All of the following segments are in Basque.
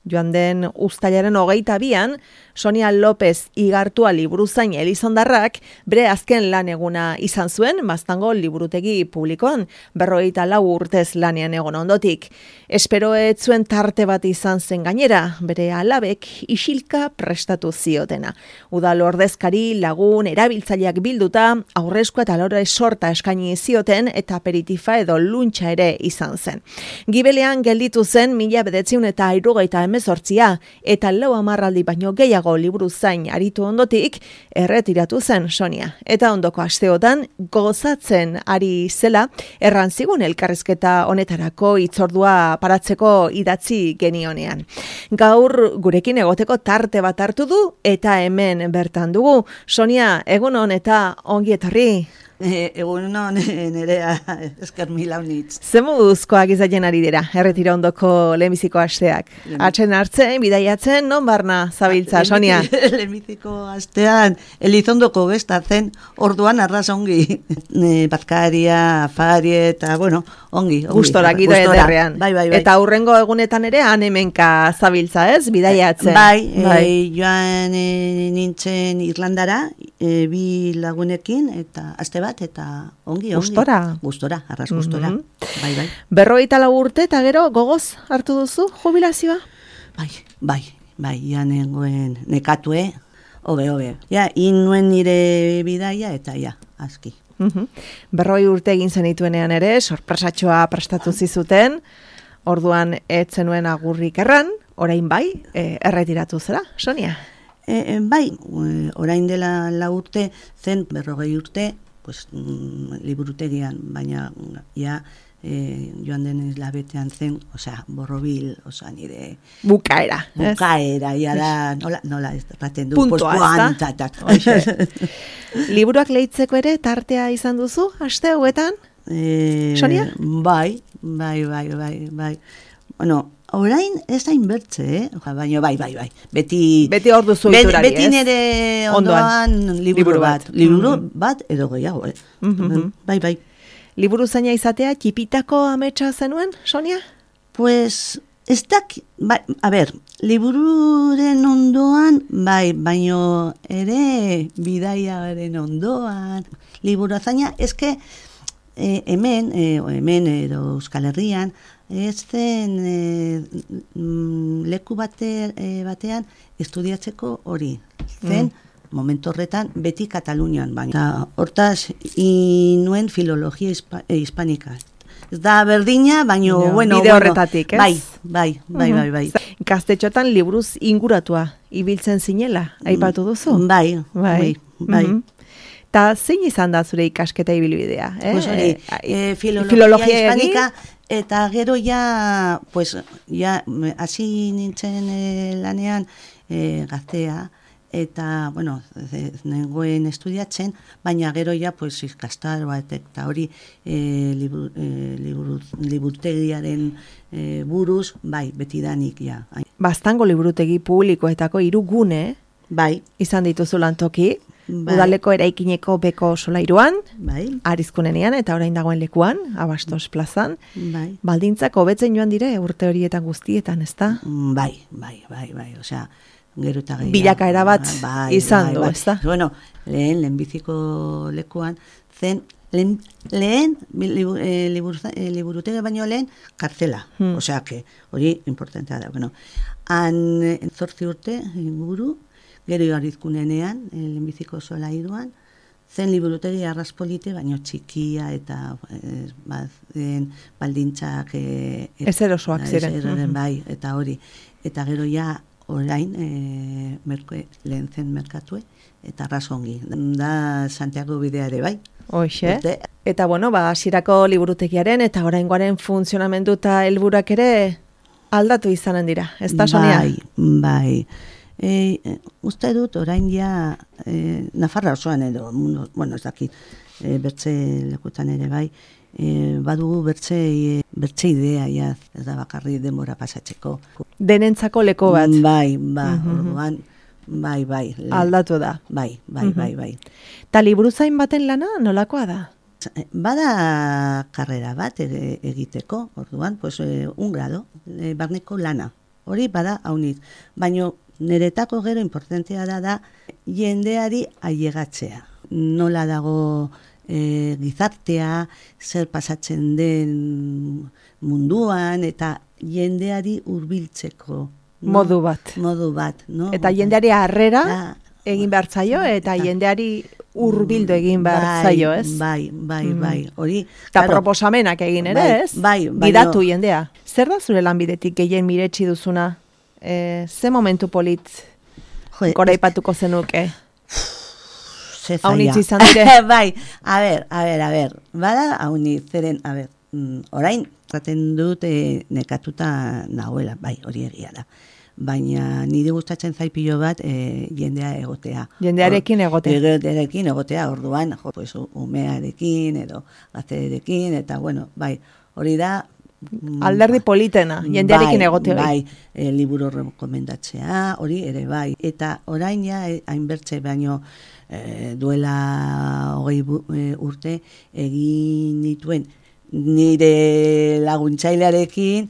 Joan den uztailaren 22an, Sonia López Igartua liburuzain Elizondarrak bere azken lan eguna izan zuen Baztango liburutegi publikoan, 54 urtez lanean egon ondotik. Espero ez zuen tarte bat izan zen gainera, bere alabek isilka prestatu ziotena. Udal ordezkari, lagun, erabiltzaileak bilduta, aurrezkoa eta lore sorta eskaini zioten eta aperitifa edo luntxa ere izan zen. Gibelean gelditu zen 1978 eta 4 hamarraldi baino gehiago liburuzain aritu ondotik erretiratu zen Sonia. Eta ondoko asteotan gozatzen ari zela errantzigun elkarrizketa honetarako hitzordua paratzeko idatzi genionean. Gaur gurekin egoteko tarte bat hartu du eta hemen bertan dugu. Sonia, egun hon eta ongi etorri. Egun hon nerea esker mila unitz. Ze moduzkoak izaten ari dira, erretira ondoko lehenbiziko asteak? Atzen hartzen, bidaiatzen, non barna zabiltza, Sonia? Lehenbiziko astean, Elizondoko gestatzen, orduan arras ongi. Bazkaria, afari eta, bueno, ongi. Gustora, gida ederrean. Bai. Eta hurrengo egunetan ere, hemenka zabiltza, ez? Bidaiatzen. Bai. Joan nintzen Irlandara, bi lagunekin, eta aste bat, eta ongi. Gustora, arras gustora. Bai. 54 urte eta gero gogoz hartu duzu jubilazioa? Bai, ja nengoen nekatue, hobe. Ja, inuen nire bidaia eta ja, aski. 40 urte egin zenituenean ere, sorpresatxoa prestatu zizuten, orduan ez zenuen agurrik erran, orain bai, erretiratu zera, Sonia? Bai, orain dela 4 urte, zen 40 urte, pues, liburutegian, baina ja joan den labetean zen, borrobil, nire... Bukaera, ja da, nola erraten du, puntua, ez da? Liburuak lehitzeko ere tartea izan duzu, aste hauetan? Sonia? Bai. Bueno, orain ez da inbertze, baina bai. Beti hor duzu iturari, beti nire ondoan liburu bat edo gehiago, Bai. Liburu zaina izatea txipitako ametsa zenuen, Sonia? Pues, ez libururen ondoan, bai, baino ere bidaiaren ondoan. Liburu zaina, eske hemen edo Euskal Herrian, ez zen leku batean estudiatzeko hori. Zen, momentu horretan, beti Katalunian baina. Hortaz, inuen filologia hispanika. Ez da berdina, baino, bide horretatik, ez? Bai. Gaztetxotan liburuz inguratua ibiltzen zinela, aipatu duzu? Bai. Ta zein izan da zure ikasketa ibilbidea? Filologia hispanika, eta gero ja, hasi nintzen lanean gaztea, eta, nengoen estudiatzen, baina gero ja, ikastaroa eta hori liburutegiaren buruz, bai, betidanik, ja. Baztango liburutegi publikoetako 3 gune, bai, izan dituzu lantoki, Udaleko eraikineko beko solairuan, Arizkunenean eta orain dagoen lekuan, Abastos plazan. Baldintzak hobetzen joan dire urte horietan guztietan, ezta? Bai, gero eta gehiago. Bilakaera bat izan du, ezta? Bueno, lehenbiziko lekuan, zen lehen liburutegi baino lehen kartzela. Osea, hori importantea da. Han 8 urte inguru, gero Arizkunenean, lehenbiziko solairuan, zen liburutegi arraspolite, baino txikia eta baldintzak... Ez erosoak ziren. Bai, eta hori. Eta gero ja, orain, lehen zen merkatue, eta arrasongi. Da Santiago bidea ere, bai. Hoxe. Eta, hasierako liburutegiaren eta oraingoaren funtzionamendu eta helburak ere aldatu izanen dira, ez da, Sonia? Bai. Uste dut, orain ja, Nafarra osoan edo, ez dakit, bertze lekutan ere bai, badugu bertze idea, ez da bakarri denbora pasatzeko. Denentzako leko bat. Bai, orduan, bai. Aldatu da. Bai. Ta liburuzain baten lana nolakoa da? Bada karrera bat egiteko, orduan, un grado, barneko lana. hori bada haunit. Baina niretako gero importantea da jendeari ailegatzea. Nola dago gizartea, zer pasatzen den munduan, eta jendeari hurbiltzeko. Modu bat. No? Eta jendeari harrera egin behar zaio, eta jendeari hurbildu egin behar zaio, ez? Bai. Hori, eta proposamenak egin ere, ez? Gidatu jendea. Zer da zure lanbidetik gehien miretsi duzuna? Ze momentu polit goraipatuko zenuke? Haunitz izan dire? Bai, a ber. Bada haunitz, zeren, orain, zaten dut nekatuta nagoela, bai, hori egia da. Baina nire gustatzen zaipilo bat jendea egotea. Jendearekin egotea. Jendearekin egotea, orduan, pues, umearekin edo gazterekin, eta bueno, bai, hori da... Alderdi politena, jendearekin egotea. Bai, liburu rekomendatzea, hori ere bai. Eta orain ja, hainbertze baino duela 20 urte egin dituen nire laguntzailearekin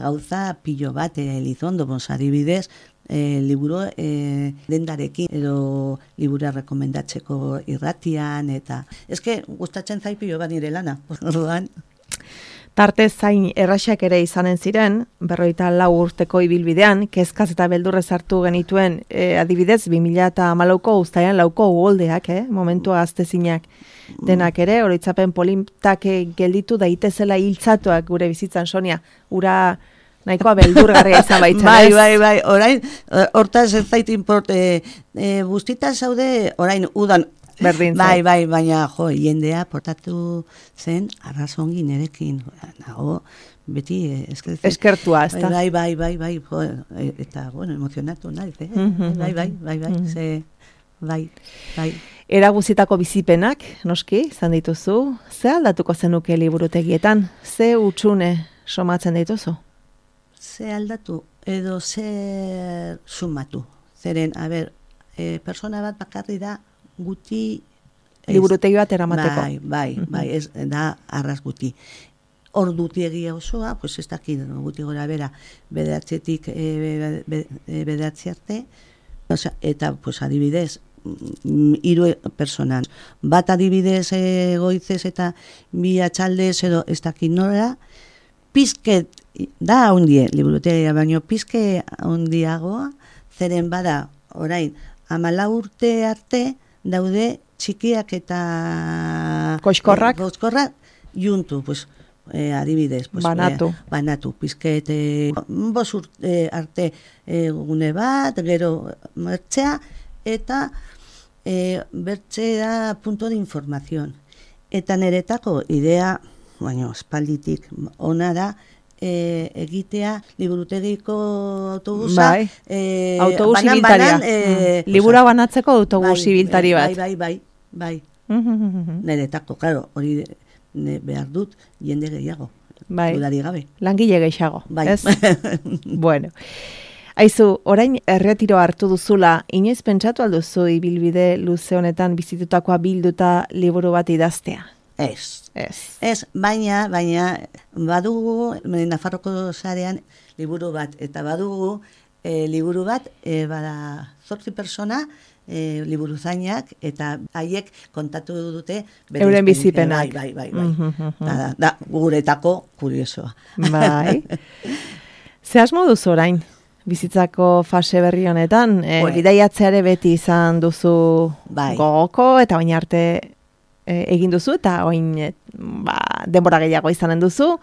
gauza pilo bat Elizondo, adibidez, liburu dendarekin edo libura rekomendatzeko irratian, eta eske gustatzen zait pilo bat nire lana, orduan. Tarte zain erraxak ere izanen ziren, 54 urteko ibilbidean, kezkaz eta beldurrez hartu genituen, adibidez, 2014ko uztailean 4ko uholdeak, momentua aztezinak denak ere, oroitzapen politak gelditu daitezela hiltzatuak gure bizitzan, Sonia, ura nahikoa beldurgarria izan baitzen, ez? Bai, orain, hortaz ez zait import, guztita zaude, orain, udan, berdin bai, baina jendea portatu zen arrazongi nerekin, nago beti eskertua, ez da? Bai, eta bueno, emozionatu nahi, bai. Era guztietako bizipenak, noski, izan dituzu, ze aldatuko zenuke liburutegietan? Ze utxune somatzen dituzu? Ze aldatu edo ze sumatu. Zeren, persona bat bakarri da guti... Liburutegi bat eramateko. Bai, ez da arras guti. Ordutiegia osoa, pues ez dakit, guti gora bera, bederatzetik bederatzi arte, eta, pues, adibidez, 3 personan. Bat adibidez goizez eta 2 atxaldez edo ez dakit nora, pizket da hundie, liburutegia, baino pizke hundiagoa, zeren bada, orain, 14 urte arte daude txikiak eta koxkorrak juntu, pues, adibidez, pues, banatu, pizket 5 urte arte gune bat, gero mertzea, eta bertze da punto de información. Eta niretako idea, baina espalditik ona da, egitea liburutegiko autobusa, autobus ibiltaria. Libura banatzeko autobus ibiltari bat. Bai. Niretako, claro, hori behar dut jende gehiago. Dudari gabe. Langile gehiago, ez? Bueno. Aizu, orain erretiro hartu duzula, inoiz pentsatu alduzu ibilbide luze honetan bizitutakoa bilduta liburu bat idaztea? Ez, baina badugu Nafarroko sarean liburu bat, eta badugu liburu bat, bada 8 persona, liburuzainak, eta haiek kontatu dute euren bizipenak. Bai. Da, guretako kuriosoa. Bai. Ze asmo duzu orain? Bizitzako fase berri honetan, bidaiatzeare beti izan duzu gogoko, eta baina arte egin duzu, eta oin denbora gehiago izanen duzu.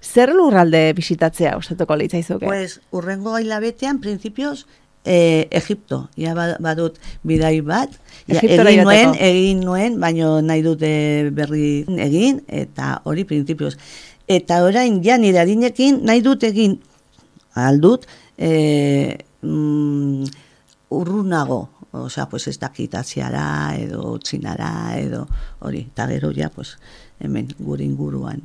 Zer lurralde bisitatzea gustatuko litzaizuke? Pues, urrengo hilabetean, principios, Egipto. Ja badut bidai bat. Egin nuen, baino nahi dute berri egin, eta hori principios. Eta orain, ja nire adinekin, nahi dut egin aldut, urrunago, osea, pues ez dakit Asiara edo Txinara edo hori, eta gero ja, pues, hemen gure inguruan.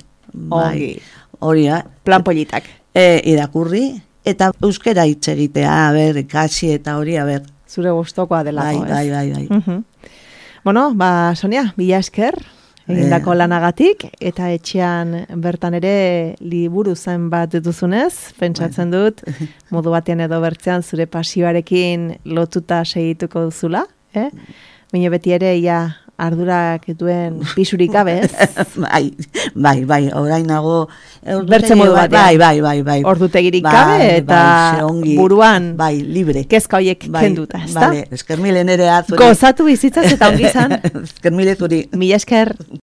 Hori, plan politak. Irakurri, eta euskera hitz egitea, ikasi eta hori, zure gustokoa delako, Bai. Bueno, Sonia, mila esker, egindako lanagatik, eta etxean bertan ere liburu zen bat duzunez, pentsatzen dut, modu batean edo bertzean zure pasioarekin lotuta segituko duzula, baina beti ere ardurak duen pisurik gabe, ez? Bai, orain nago bertze modu batean. Bai. Ordutegirik gabe eta buruan libre. Kezka horiek kenduta, ezta? Eskermile nerea zuri. Gozatu bizitzaz eta ongi izan. Eskermile zuri. Mila esker.